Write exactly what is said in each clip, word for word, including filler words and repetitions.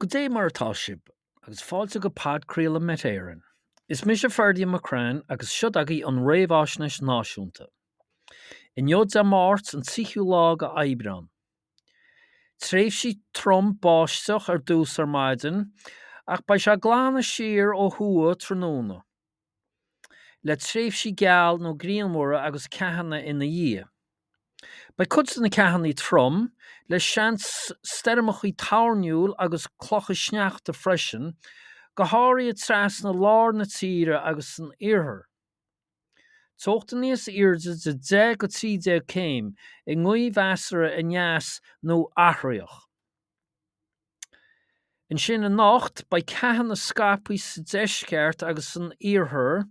Goidé mar atá sibh, agus fáilte go podchraoladh Met Éireann. Is mise Ferdia McCrann agus seo agaibh an Réamhaisnéis Náisiúnta. Inniu Dé Máirt an tríú lá de Aibreán. Tréimhsí trom báisteach ar dtús ar maidin, ach beidh sé ag glanadh siar ó thuaidh tráthnóna, le tréimhsí geal nó grianmhara agus ceathanna ina dhiaidh. Beidh cuid de na ceathanna trom, le seans stoirmeacha toirniúil agus clocha sneachta freisin, go háirithe trasna lár na tíre agus san iarthar. Teochtaí níos airde de deich go trí déag céim i ngaoth mheasartha aneas nó athraitheach. Ansin anocht, beidh ceathanna scaipthe sa deisceart agus san iarthar,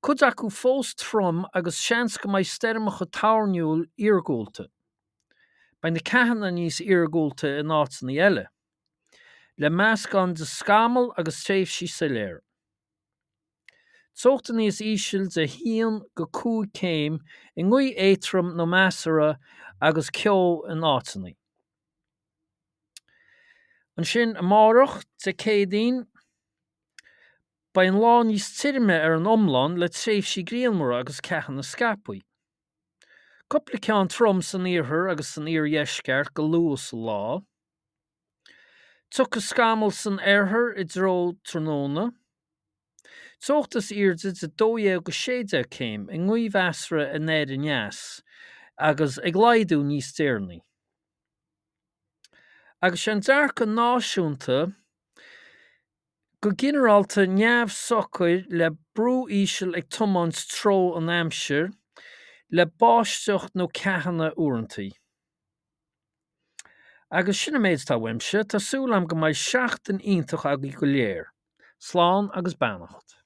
cuid acu fós trom agus seans go mbeidh stoirmeacha toirniúil iargúlta. Beidh na ceathanna níos iargúlta in áiteanna eile, le meascán de scamaill agus tréimhsí soiléire. Teochtaí níos ísle de haon go cúig céim i ngaoth éadrom nó measartha agus ceo in áiteanna. Ansin amárach, Dé Céadaoin, beidh an lá níos tirime ar an iomlán le tréimhsí grianmhara agus ceathanna scaipthe. Cúpla ceann trom san iarthar agus san iardheisceart go luath sa lá. Tiocfaidh scamaill san oirthear i dtreo tráthnóna. Teocht is airde de dó dhéag go sé déag céim i ngaoth mheasartha anoir aneas agus ag laghdú níos deireanaí. Agus sé an dearcadh náisiúnta go ginearálta neamhshocair le brú íseal ag tiomáint treo an aimsir, le báisteach nó ceathanna uaireanta. Agus sin an méid atá uaimse, tá súil agam go mbeidh seachtain iontach agaibh go léir. Slán agus beannacht.